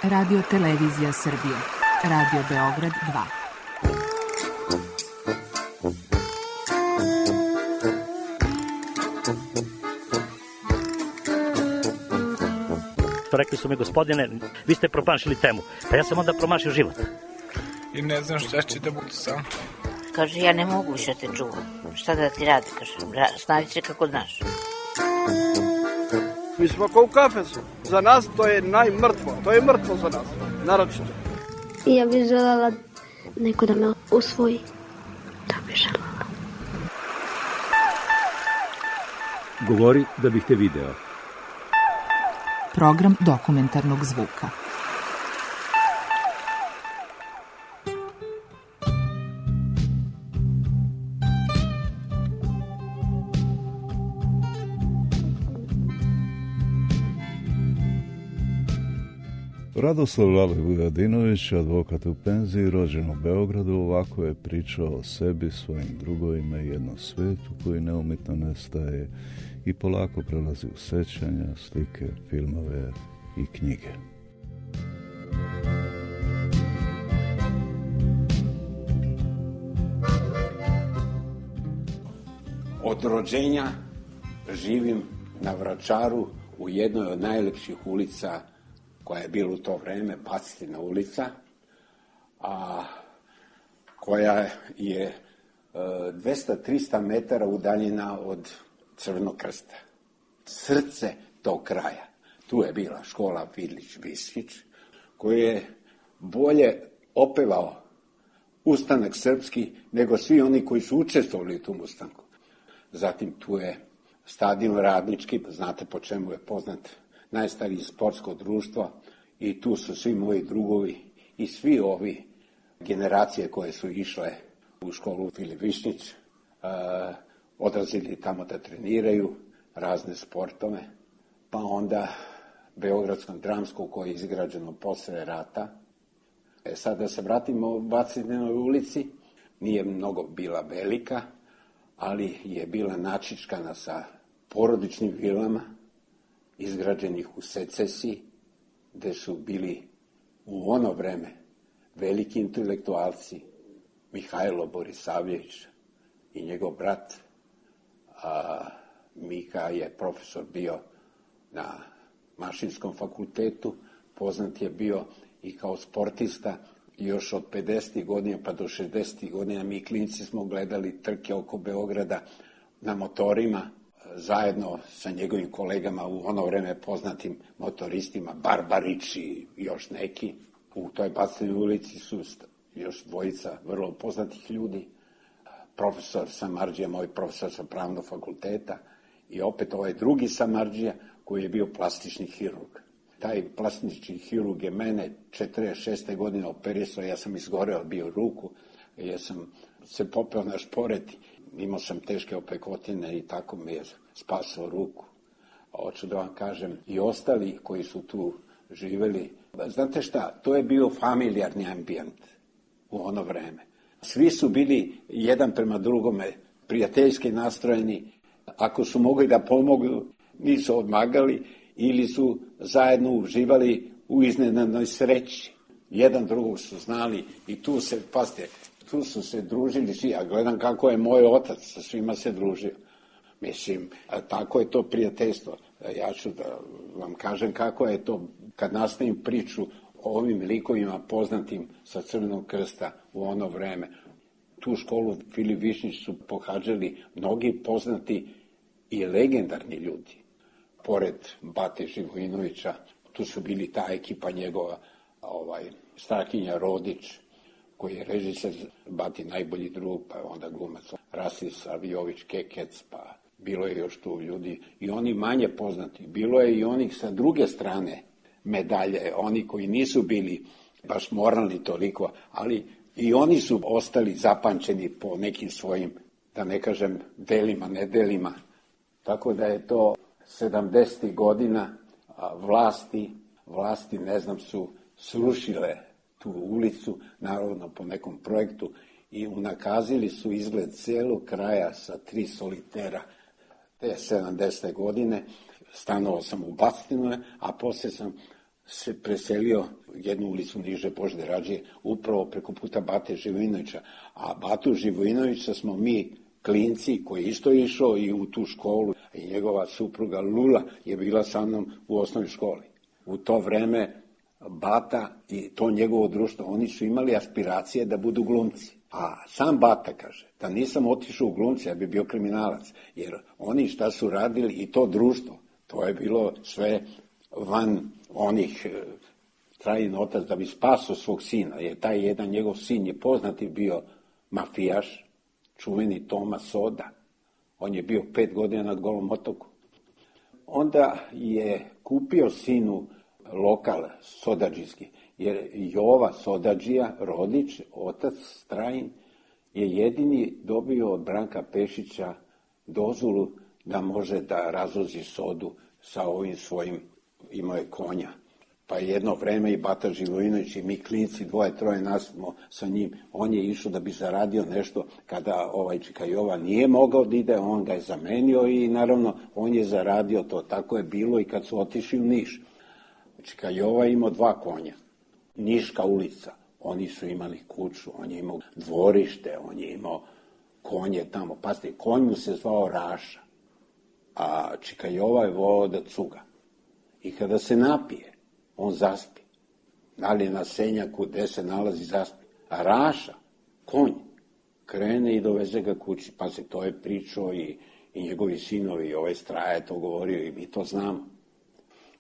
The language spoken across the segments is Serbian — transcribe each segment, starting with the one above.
Radio Televizija Srbije. Radio Beograd 2. Rekli su mi, gospodine, vi ste promašili temu. Pa ja sam onda promašio život. I ne znam šta će da bude sam. Kaže, ja ne mogu više te čuvam. Šta da ti radi, kaže, snađi se kako znaš. Mi smo kao u kafesu. Za nas to je najmrtvo. To je mrtvo za nas, naročito. Ja bih želela neko da me usvoji. To bih želela. Govori da bih te video. Program dokumentarnog zvuka. Radoslav Lale Vujadinović, advokat u penziji, rođen u Beogradu, ovako je pričao o sebi, svojim drugovima i jednom svetu koji neumitno nestaje i polako prelazi u sećanja, slike, filmove i knjige. Od rođenja živim na Vračaru u jednoj od najlepših ulica koja je bila u to vreme, Bacitina ulica, a koja je 200-300 metara udaljena od Crvenog krsta. Srce tog kraja. Tu je bila škola Filić-Viskić, koji je bolje opevao ustanak srpski nego svi oni koji su učestvovali u tom ustanku. Zatim tu je stadion Radnički, znate po čemu je poznat, najstariji sportsko društvo, i tu su svi moji drugovi i svi ovi generacije koje su išle u školu Filip Višnjić, odlazili tamo da treniraju razne sportove, pa onda Beogradskom dramskom koje je izgrađeno posle rata. Sad da se vratimo u Bacitinoj ulici, nije mnogo bila velika, ali je bila načičkana sa porodičnim vilama, izgrađenih u secesiji, gde su bili u ono vreme veliki intelektualci, Mihajlo Borisavljević i njegov brat. Mika je profesor bio na Mašinskom fakultetu, poznat je bio i kao sportista. Još od 50. godina pa do 60. godina mi klinci smo gledali trke oko Beograda na motorima, zajedno sa njegovim kolegama u ono vreme poznatim motoristima, Barbarić i još neki. U toj Bacitinoj ulici su još dvojica vrlo poznatih ljudi. Profesor Samardžija, moj profesor sa pravnog fakulteta, i opet ovaj drugi Samardžija koji je bio plastični hirurg. Taj plastični hirurg je mene 46. godine operisao, ja sam izgoreo bio ruku, ja sam se popeo na šporet, imao sam teške opekotine i tako mi je spasao ruku. Hoću da vam kažem, i ostali koji su tu živeli, znate šta, to je bio familijarni ambijent u ono vreme. Svi su bili jedan prema drugome prijateljski nastrojeni, ako su mogli da pomogu, nisu odmagali ili su zajedno uživali u iznenadnoj sreći. Jedan drugog su znali i tu se, pazite, tu su se družili svi. Ja gledam kako je moj otac sa svima se družio. Mislim, tako je to prijateljstvo. Ja ću da vam kažem kako je to kad nastavim priču o ovim likovima poznatim sa Crvenog krsta u ono vreme. Tu školu Filip Višnjić su pohađali mnogi poznati i legendarni ljudi. Pored Bate Živojinovića, tu su bili ta ekipa njegova, Strahinja Rodić, koji je režiser, Bati najbolji drug, pa onda glumac Rasis Aviović Kekec, pa bilo je još tu ljudi i oni manje poznati. Bilo je i onih sa druge strane medalje, oni koji nisu bili baš moralni toliko, ali i oni su ostali zapamćeni po nekim svojim, da ne kažem, delima, nedelima. Tako da je to 70. godina vlasti, ne znam, su srušile tu ulicu, naravno po nekom projektu, i unakazili su izgled celog kraja sa 3 solitera. Te 70. godine stanovao sam u Bacitinoj, a posle sam se preselio jednu ulicu niže Božide Rađe, upravo preko puta Bate Živojinovića. A Batu Živojinovića smo mi klinci koji isto išao i u tu školu. I njegova supruga Lula je bila sa mnom u osnovnoj školi. U to vreme Bata i to njegovo društvo, oni su imali aspiracije da budu glumci. A sam Bata kaže, da nisam otišao u glumci, ja bi bio kriminalac. Jer oni šta su radili i to društvo, to je bilo sve van onih Trajin otac da bi spasao svog sina. Jer taj jedan njegov sin je poznati bio mafijaš, čuveni Toma Soda. On je bio 5 godina na Golom otoku. Onda je kupio sinu lokal sodadžijski, jer Jova Sodadžija, rodić, otac Strajin, je jedini dobio od Branka Pešića dozvolu da može da razvozi sodu sa ovim svojim, imao je konja. Pa jedno vreme i Bata Živojinović i mi klinci, 2-3 nas smo sa njim, on je išao da bi zaradio nešto, kada Čika Jova nije mogao da ide, on ga je zamenio i naravno on je zaradio to. Tako je bilo i kad su otišli u Niš. Čika Jova je imao 2 konja, Niška ulica, oni su imali kuću, on je imao dvorište, on je imao konje tamo. Pazite, konj mu se zvao Raša, a Čika Jova je volao da cuga. I kada se napije, on zaspi. Da li je na senjaku gde se nalazi, zaspi. A Raša, konj, krene i doveze ga kući. Pazite, to je pričao i njegovi sinovi, i ovaj Straja je to govorio i mi to znamo.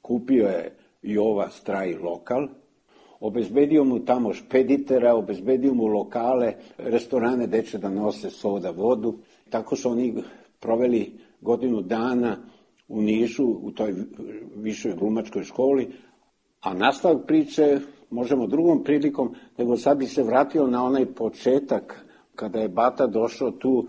Kupio je Jova Straj lokal, obezbedio mu tamo špeditera, obezbedio mu lokale, restorane gde će da nose soda, vodu. Tako su oni proveli godinu dana u Nišu, u toj višoj glumačkoj školi, a nastavak priče možemo drugom prilikom, nego sad bi se vratio na onaj početak, kada je Bata došao tu,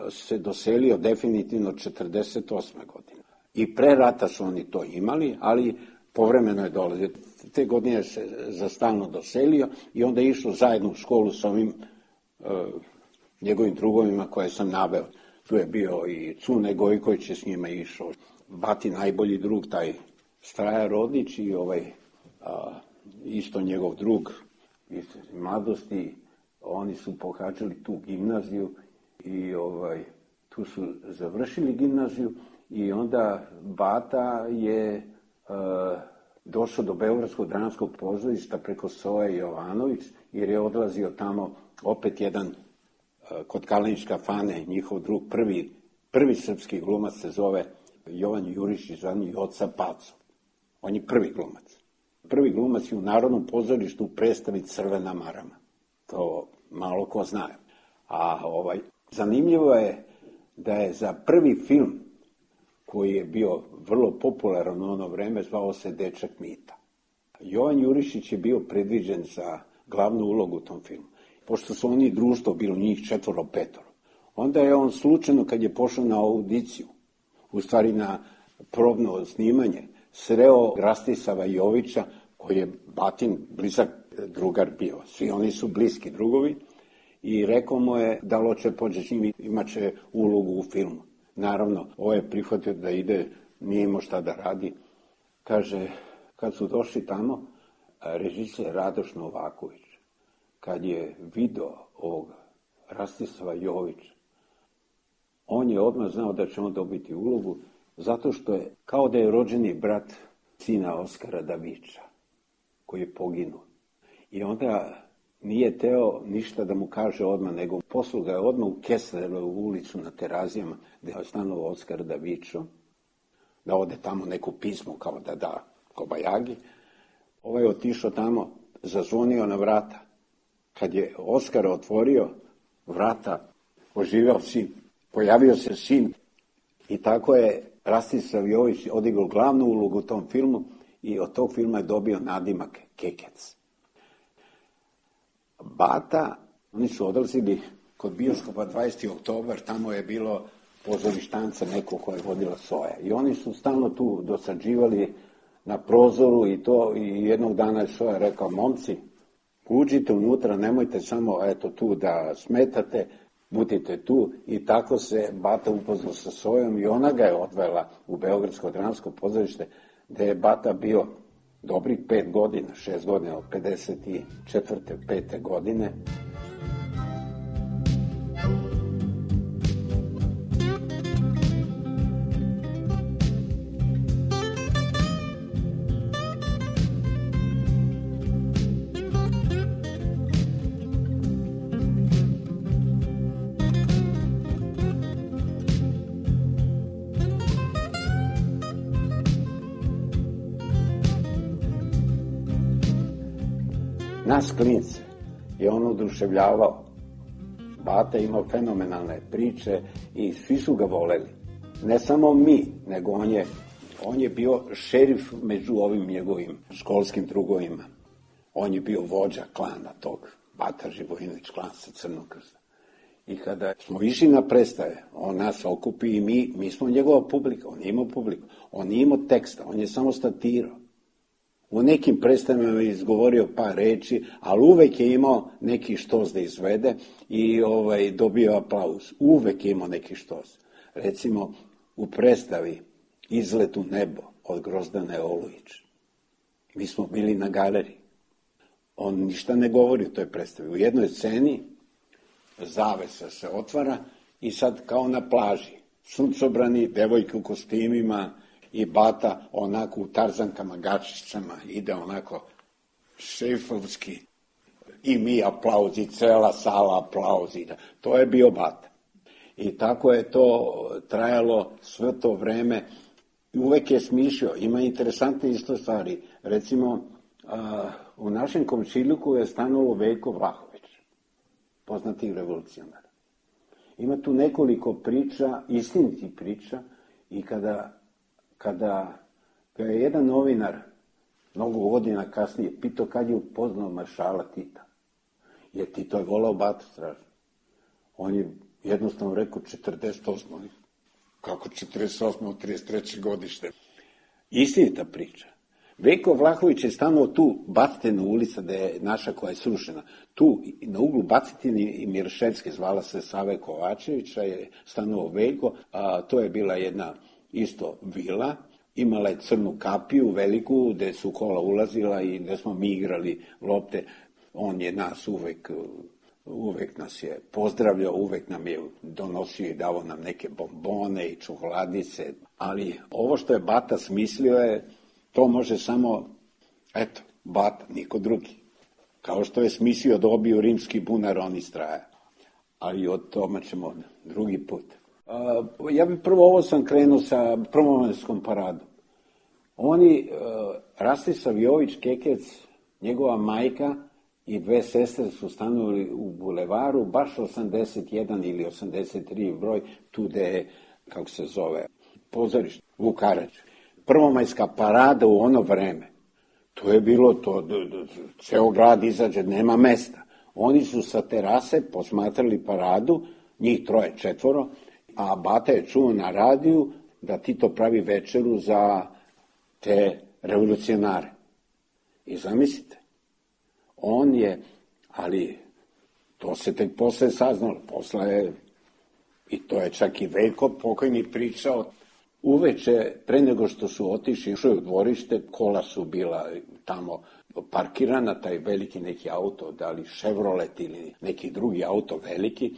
se doselio definitivno 48. godine. I pre rata su oni to imali, ali povremeno je dolazio. Te godine se za stalno doselio i onda je išao zajedno u školu sa ovim njegovim drugovima koje sam naveo. Tu je bio i Cune Gojković je s njima išao. Bati najbolji drug, taj Straja Rodić i isto njegov drug iz mladosti. Oni su pohađali tu gimnaziju i tu su završili gimnaziju i onda Bata je došao do Beogradskog dramskog pozorišta preko Soje Jovanović, jer je odlazio tamo opet jedan kod Kalenić kafane, njihov drug, prvi srpski glumac se zove Jovan Jurišić, zvani Joca Paco. On je prvi glumac. Prvi glumac je u Narodnom pozorištu u predstavi Crvena marama. To malo ko zna. A zanimljivo je da je za prvi film koji je bio vrlo popularan u ono vreme, zvao se Dečak Mita. Jovan Jurišić je bio predviđen za glavnu ulogu u tom filmu. Pošto su oni društvo, bilo njih 4-5, onda je on slučajno, kad je pošao na audiciju, u stvari na probno snimanje, sreo Rastisava Jovića, koji je Batin blizak drugar bio. Svi oni su bliski drugovi i rekao mu je da hoće pođe s njim, imaće ulogu u filmu. Naravno, ovo je prihvatio da ide, nije imao šta da radi. Kaže, kad su došli tamo, režiser Radoš Novaković, kad je video ovog Rastisava Jovića, on je odmah znao da će on dobiti ulogu, zato što je kao da je rođeni brat sina Oskara Davića, koji je poginuo. I onda nije teo ništa da mu kaže odmah, nego poslao ga je odmah u Kesslerovu ulicu na Terazijama, gde je stanovao Oskar Davićo, da ode tamo neko pismo kao da da kobajagi. Ovaj je otišao tamo, zazvonio na vrata. Kad je Oskar otvorio vrata, oživeo sin, pojavio se sin i tako je Rastislav Jović odigrao glavnu ulogu u tom filmu i od tog filma je dobio nadimak Kekec. Bata, oni su odlazili kod bioskopa 20. oktobar, tamo je bilo pozorištanca neko koje je vodila Soja. I oni su stalno tu dosađivali na prozoru i to, i jednog dana je Soja rekao, momci, uđite unutra, nemojte samo tu da smetate, budite tu. I tako se Bata upoznao sa Sojom i ona ga je odvela u Beogradsko dramsko pozorište, gde je Bata bio dobrih 5 godina, 6 godina, od 54. 5. godine. Nas klince je on oduševljavao. Bata je imao fenomenalne priče i svi su ga voleli. Ne samo mi, nego on je bio šerif među ovim njegovim školskim drugovima. On je bio vođa klana tog, Bata Živojinović, klan sa Crnog Krsta. I kada smo išli na predstave, on nas okupi i mi smo njegova publika, on je imao publiku. On nije imao teksta, on je samo statirao. U nekim predstavama je izgovorio par reči, ali uvek je imao neki štos da izvede i dobio aplauz. Uvek je imao neki štos. Recimo, u predstavi Izlet u nebo od Grozdane Olujić. Mi smo bili na galeriji. On ništa ne govori u toj predstavi. U jednoj sceni zavesa se otvara i sad kao na plaži. Suncobrani, devojke u kostimima, i Bata onako u tarzankama, gačićama, ide onako šefovski i mi aplauzi, cela sala aplauzi. To je bio Bata. I tako je to trajalo sve to vreme. Uvek je smišljao. Ima interesantne isto stvari. Recimo, u našem komšiluku je stanovao Veljko Vlahović, poznati revolucionar. Ima tu nekoliko priča, istinitih priča, i kada ga je jedan novinar mnogo godina kasnije pitao kad je upoznao maršala Tita, jer Tito je volao Batu strašno. On je jednostavno rekao 48. Kako 48. od 33. godište? Istinita priča. Veljko Vlahović je stanovao tu, Bacitinu ulica, da je naša koja je srušena. Tu, na uglu Bacitine i Mirševske, zvala se Save Kovačevića, je stanovao Veljko, a to je bila jedna isto vila, imala je crnu kapiju veliku, gde su kola ulazila i gde smo mi igrali lopte. On je nas uvek nas je pozdravljao, uvek nam je donosio i davao nam neke bombone i čokoladice. Ali ovo što je Bata smislio je, to može samo, eto, Bata, niko drugi. Kao što je smislio da obiju rimski bunar, on istraja. Ali od tome ćemo drugi put. Ja bih prvo sam krenuo sa prvomajskom paradom. Oni, Rastisa Jović Kekec, njegova majka i dve sestre su stanovali u bulevaru, baš 81 ili 83 broj, tu gde je, kako se zove, pozorište, Vukarač. Prvomajska parada u ono vreme, to je bilo to, ceo grad izađe, nema mesta. Oni su sa terase posmatrali paradu, njih 3, 4, a Bata je čuo na radiju da Tito pravi večeru za te revolucionare. I zamislite, on je, ali to se tek posle saznalo, i to je čak i Veljko pokojni pričao, uveče, pre nego što su otišli u dvorište, kola su bila tamo parkirana, taj veliki neki auto, da li Chevrolet ili neki drugi auto veliki,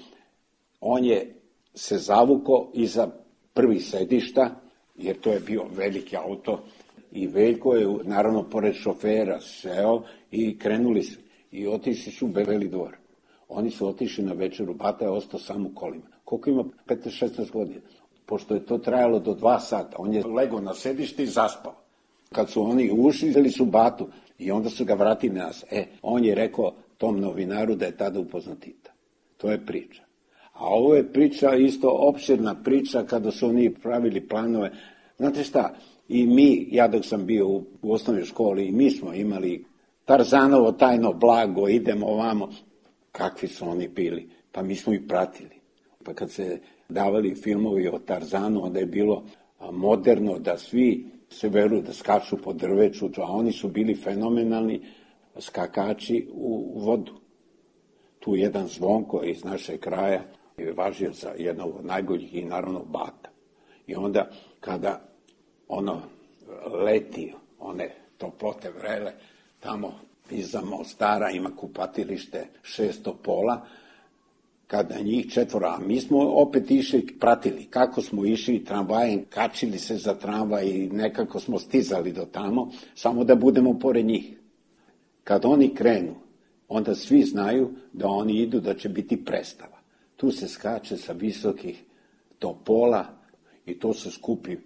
on je se zavuko iza prvih sedišta, jer to je bio veliki auto, i Veljko je, naravno, pored šofera seo i krenuli su. I otišli su u Beli dvor. Oni su otišli na večeru, Bata je ostao sam u kolima. Koliko ima? 15-16 godina. Pošto je to trajalo do 2 sata, on je legao na sedište i zaspao. Kad su oni ušli, uzeli su Batu i onda su ga vratili na nas. On je rekao tom novinaru da je tada upoznat Tita. To je priča. A ovo je priča, isto opširna priča, kada su oni pravili planove. Znate šta, i mi, ja dok sam bio u osnovnoj školi, i mi smo imali Tarzanovo tajno blago, idemo ovamo. Kakvi su oni bili? Pa mi smo ih pratili. Pa kad se davali filmovi o Tarzanu, onda je bilo moderno da svi se veruju da skaču po drveću, a oni su bili fenomenalni skakači u vodu. Tu jedan Zvonko iz našeg kraja je važio za jednog od najboljih i naravno Bata. I onda kada leti, one toplote vrele, tamo iza Mostara ima kupatilište 600 pola, kada njih 4, a mi smo opet išli, pratili kako smo išli tramvajem, kačili se za tramvaj i nekako smo stizali do tamo, samo da budemo pored njih. Kad oni krenu, onda svi znaju da oni idu, da će biti predstava. Tu se skače sa visokih topola i to se skupi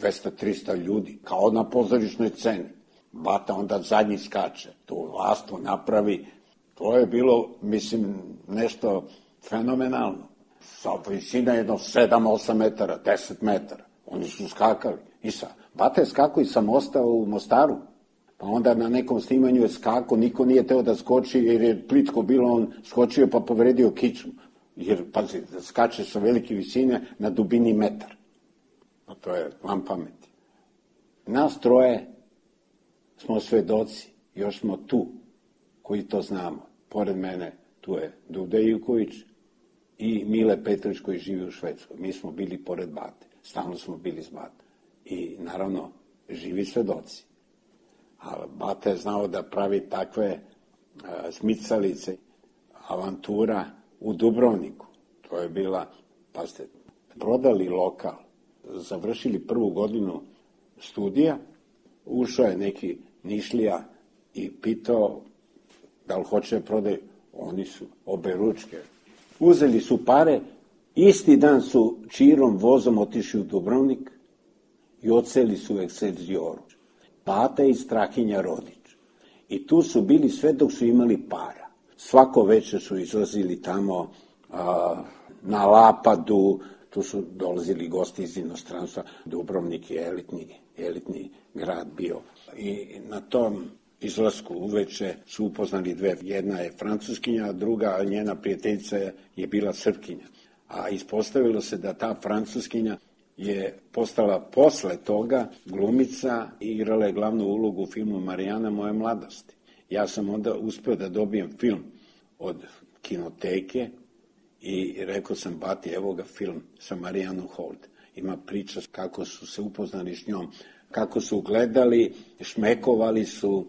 200-300 ljudi, kao na pozorišnoj sceni. Bata onda zadnji skače, tu lastu napravi. To je bilo, mislim, nešto fenomenalno. Sa visina jedno 7-8 metara, 10 metara. Oni su skakali. Bata je skakao i sa mosta u Mostaru. Pa onda na nekom snimanju je skakao, niko nije teo da skoči jer je plitko bilo, on skočio pa povredio kičmu. Jer, pazi, skače sa velike visine na dubini metar. Pa to je van pameti. Nas troje smo svedoci, još smo tu, koji to znamo. Pored mene tu je Duda Ivković i Mile Petrović koji živi u Švedskoj. Mi smo bili pored Bate, stalno smo bili s Bate. I naravno, živi svedoci. Ali Bata je znao da pravi takve smicalice, avantura u Dubrovniku. To je bila, pazite, prodali lokal, završili 1. godinu studija, ušao je neki Nišlija i pitao da li hoće da prodaju. Oni su obe ručke. Uzeli su pare, isti dan su čirom vozom otišli u Dubrovnik i odseli su u Ekselzioru. Bata i Strahinja Rodić. I tu su bili sve dok su imali para. Svako večer su izlazili tamo na Lapadu, tu su dolazili gosti iz inostranstva. Dubrovnik je elitni grad bio. I na tom izlasku uveče su upoznali dve. Jedna je Francuskinja, a druga, njena prijateljica je bila Srpkinja. A ispostavilo se da ta Francuskinja je postala posle toga glumica i igrala je glavnu ulogu u filmu Marijana moje mladosti. Ja sam onda uspeo da dobijem film od kinoteke i rekao sam Bati, evo ga film sa Marijanom Holt. Ima priča kako su se upoznali s njom, kako su gledali, šmekovali su,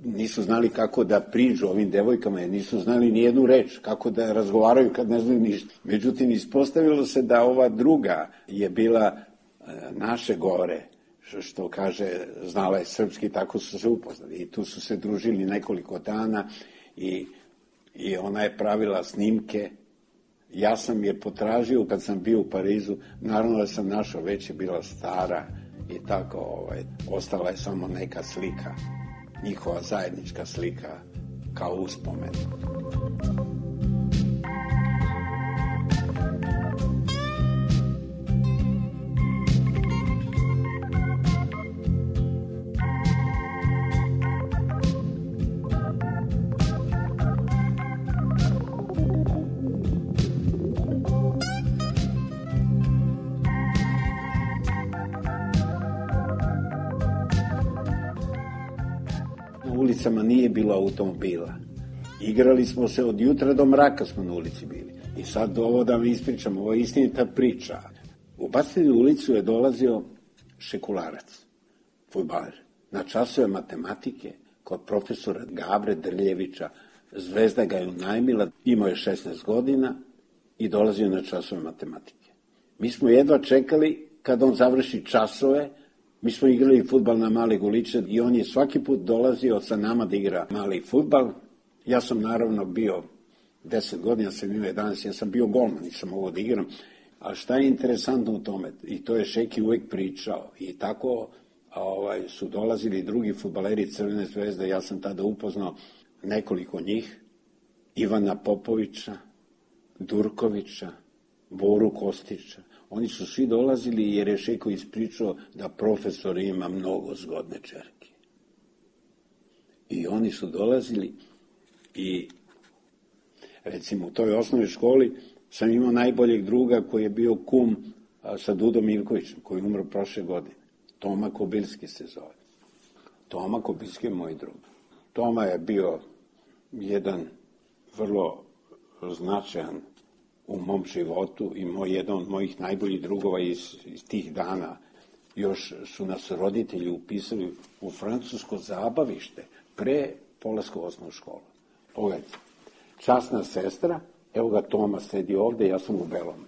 nisu znali kako da priđu ovim devojkama, jer nisu znali ni jednu reč, kako da razgovaraju kad ne znaju ništa. Međutim, ispostavilo se da ova druga je bila naše gore, što kaže, znala je srpski, tako su se upoznali. I tu su se družili nekoliko dana i ona je pravila snimke. Ja sam je potražio kad sam bio u Parizu, naravno da sam našao, već je bila stara i tako, ostala je samo neka slika, njihova zajednička slika kao uspomen. Ulicama nije bilo automobila. Igrali smo se od jutra do mraka, smo na ulici bili. I sad ovo da vam ispričam, ovo je istinita priča. U Bastinu ulicu je dolazio šekularac, fudbaler, na časove matematike kod profesora Gavre Drljevića. Zvezda ga je unajmila, imao je 16 godina i dolazio na časove matematike. Mi smo jedva čekali kad on završi časove. Mi smo igrali fudbal na Mali Goliče i on je svaki put dolazio sa nama da igra mali fudbal. Ja sam naravno bio 10 godina, sam imao 11, ja sam bio golman, nisam mogao da igram. A šta je interesantno u tome? I to je Šeki uvek pričao. I tako su dolazili drugi fudbaleri Crvene zvezde, ja sam tada upoznao nekoliko njih. Ivana Popovića, Durkovića, Boru Kostića. Oni su svi dolazili jer je Šeko ispričao da profesor ima mnogo zgodne čerke. I oni su dolazili i recimo u toj osnovnoj školi sam imao najboljeg druga koji je bio kum sa Dudom Ivkovićem, koji je umro prošle godine. Toma Kobilski se zove. Toma Kobilski je moj drug. Toma je bio jedan vrlo značajan u mom životu i jedan od mojih najboljih drugova iz tih dana. još su nas roditelji upisali u francusko zabavište pre polaska u osnovnu školu. Pogledajte, časna sestra, evo ga Toma sedi ovde, ja sam u belom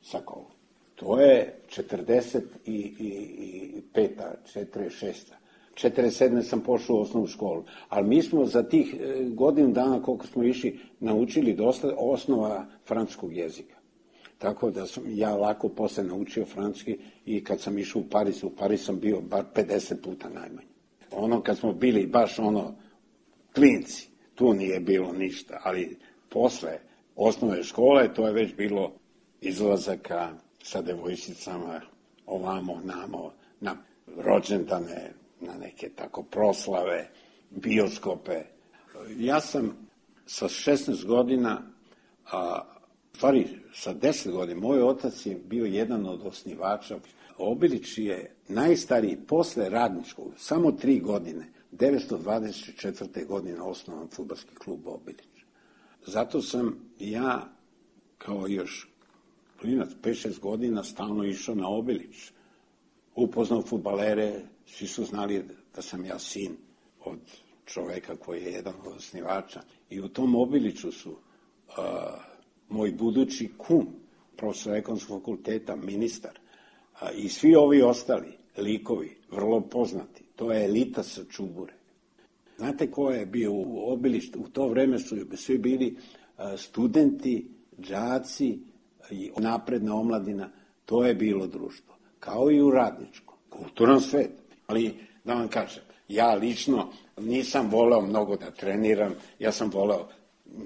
sakovu. To je 45. 46. 47. sam pošao u osnovnu školu. Ali mi smo za tih godinu dana koliko smo išli naučili dosta osnova francuskog jezika. Tako da sam ja lako posle naučio francuski i kad sam išao u Pariz sam bio bar 50 puta najmanje. Ono kad smo bili baš klinci, tu nije bilo ništa, ali posle osnovne škole to je već bilo izlazaka sa devojčicama ovamo, namo, na rođendane, na neke tako proslave, bioskope. Ja sam sa 16 godina, stvari sa 10 godina, moj otac je bio jedan od osnivača. Obilić je najstariji posle radničkog, samo 3 godine, 924. godine osnovan fudbalski klub Obilić. Zato sam ja, kao još klinac, 5-6 godina, stalno išao na Obilić. Upoznao fudbalere, svi su znali da sam ja sin od čoveka koji je jedan od osnivača. I u tom Obiliću su moj budući kum, profesor ekonomskog fakulteta, ministar, i svi ovi ostali likovi, vrlo poznati. To je elita sa Čubure. Znate ko je bio u Obilištu? U to vreme su svi bili studenti, đaci i napredna omladina. To je bilo društvo. Kao i u radničkom. Kulturan svet. Ali, da vam kažem, ja lično nisam voleo mnogo da treniram. Ja sam voleo,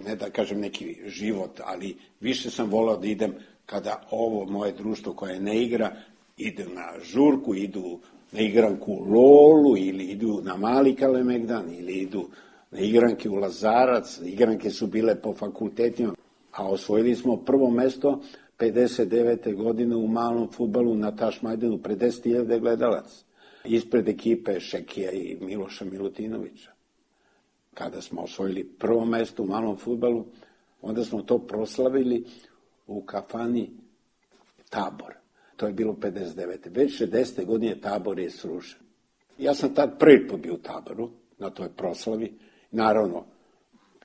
ne da kažem neki život, ali više sam voleo da idem kada ovo moje društvo koje ne igra, ide na žurku, idu na igranku u Lolu, ili idu na Mali Kalemegdan, ili idu na igranke u Lazarac. Igranke su bile po fakultetima, a osvojili smo prvo mesto 59. godine u malom fudbalu na Tašmajdanu, pred 10.000 gledalac, ispred ekipe Šekija i Miloša Milutinovića. Kada smo osvojili prvo mesto u malom fudbalu, onda smo to proslavili u kafani Tabor. To je bilo 59. Već 60. godine Tabor je srušen. Ja sam tad prvi put bio u Taboru, na toj proslavi. Naravno,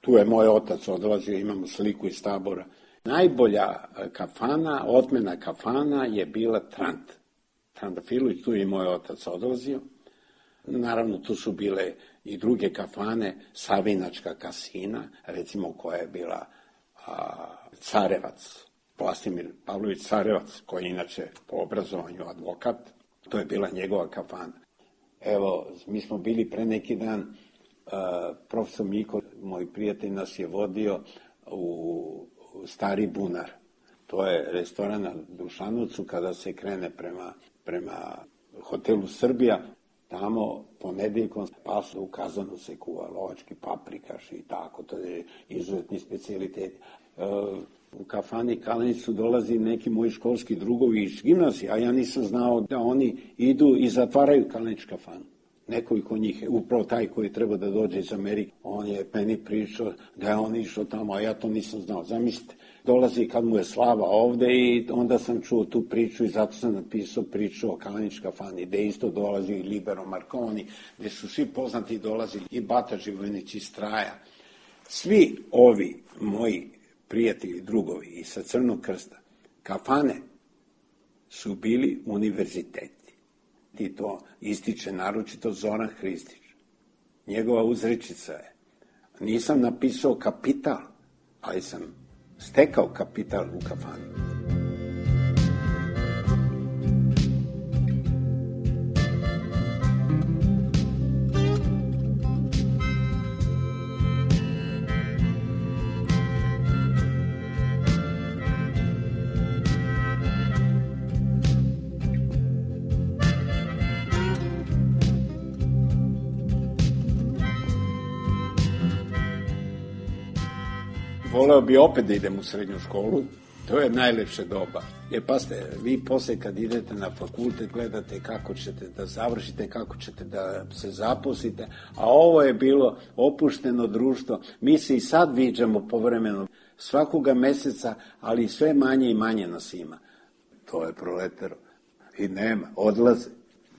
tu je moj otac odlazio, imamo sliku iz Tabora. Najbolja kafana, otmena kafana je bila Trant. Trandafilović, tu je i moj otac odlazio. Naravno, tu su bile i druge kafane, Savinačka kasina, recimo koja je bila Carevac. Vlastimir Pavlović Carevac, koji je inače po obrazovanju advokat, to je bila njegova kafana. Evo, mi smo bili pre neki dan, profesor Miko, moj prijatelj, nas je vodio u Stari bunar. To je restoran na Dušanovcu kada se krene prema hotelu Srbija. Tamo ponedeljkom pasu u kazanu se kuva lovački paprikaš i tako, to je izuzetni specijalitet. U kafani Kalenicu dolazi neki moji školski drugovi iz gimnazije, a ja nisam znao da oni idu i zatvaraju Kalenić kafanu. Nekoliko njih, upravo taj koji treba da dođe iz Amerike, on je meni pričao da je on išao tamo, a ja to nisam znao. Zamislite, dolazi kad mu je slava ovde i onda sam čuo tu priču i zato sam napisao priču o Kalenić kafani, gde isto dolazi i Libero Marconi, gde su svi poznati dolazili i Bata Živojinić iz Straja. Svi ovi moji prijatelji, drugovi i sa Crnog krsta, kafane su bili univerziteti. I to ističe naročito Zoran Hristić. Njegova uzrečica je: nisam napisao kapital, ali sam stekao kapital u kafani. Voleo bi opet da idem u srednju školu, to je najlepše doba. Jer pasite, vi posle kad idete na fakultet gledate kako ćete da završite, kako ćete da se zaposlite, a ovo je bilo opušteno društvo. Mi se i sad viđamo povremeno, svakoga meseca, ali sve manje i manje nas ima. To je proletero. I nema, odlaze.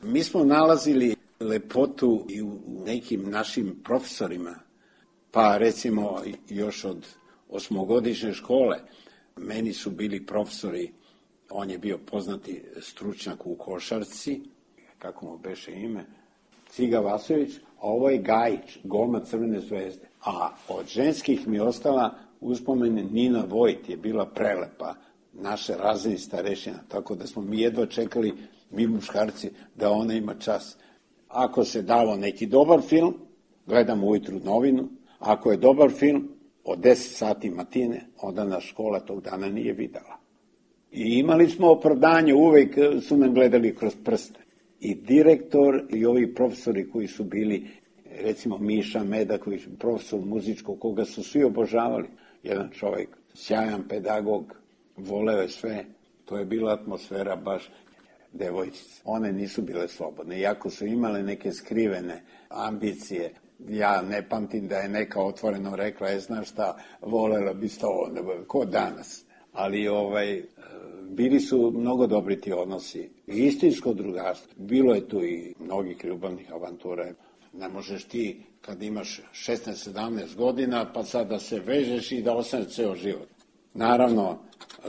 Mi smo nalazili lepotu i u nekim našim profesorima, pa recimo još od osmogodišnje škole. Meni su bili profesori, on je bio poznati stručnjak u košarci, kako mu beše ime, Ciga Vasović, a ovo je Gajić, golman Crvene zvezde. A od ženskih mi je ostala uspomene Nina Vojt, je bila prelepa, naše razredni starešina, tako da smo mi jedva čekali, mi muškarci, da ona ima čas. Ako se dalo neki dobar film, gledam ujutru novinu, ako je dobar film, od 10 sati matine, onda nas škola tog dana nije videla. I imali smo opravdanje, uvek su nam gledali kroz prste. I direktor i ovi profesori koji su bili, recimo Miša Meda, koji je profesor muzičkog, koga su svi obožavali. Jedan čovjek, sjajan pedagog, voleo je sve. To je bila atmosfera baš devojčice. One nisu bile slobodne, iako su imale neke skrivene ambicije. Ja ne pamtim da je neka otvoreno rekla, znaš šta, volela bi to, ko danas. Ali bili su mnogo dobri ti odnosi. Istinsko drugarstvo. Bilo je tu i mnogih ljubavnih avantura. Ne možeš ti, kad imaš 16-17 godina, pa sad da se vežeš i da ostaneš ceo život. Naravno,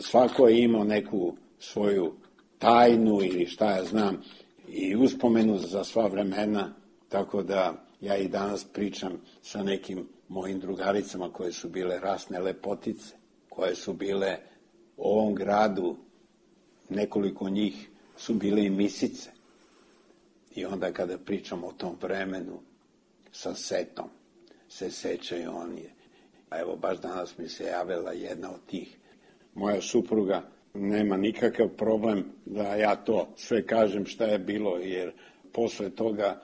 svako je imao neku svoju tajnu ili šta ja znam, i uspomenu za sva vremena, tako da ja i danas pričam sa nekim mojim drugaricama koje su bile rasne lepotice, koje su bile u ovom gradu, nekoliko njih su bile i misice. I onda kada pričam o tom vremenu sa setom, se sećaju oni. A evo baš danas mi se javila jedna od tih. Moja supruga nema nikakav problem da ja to sve kažem šta je bilo, jer posle toga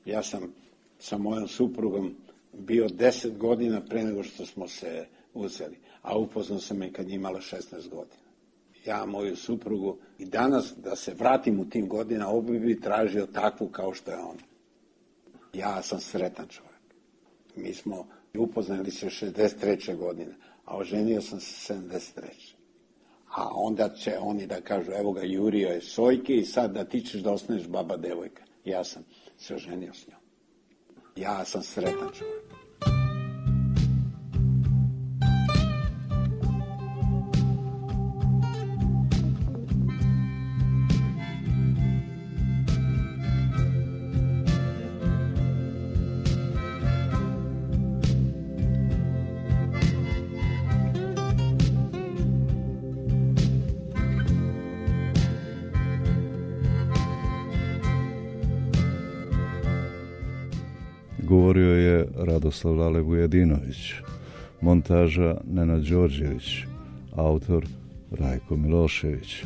ja sam sa mojom suprugom bio 10 godina pre nego što smo se uzeli, a upoznao sam je kad je imala 16 godina. Ja moju suprugu i danas da se vratim u tim godina, obi bi tražio takvu kao što je ona. Ja sam sretan čovjek. Mi smo upoznali se 63. godine, a oženio sam se 73. A onda će oni da kažu, evo ga, jurio je Sojke i sad da ti ćeš da ostaneš baba devojka. Ja sam se oženio s njom. Ja sam sretan čovjek. Govorio je Radoslav Lale Vujedinović, montaža Nenad Đorđević, autor Rajko Milošević.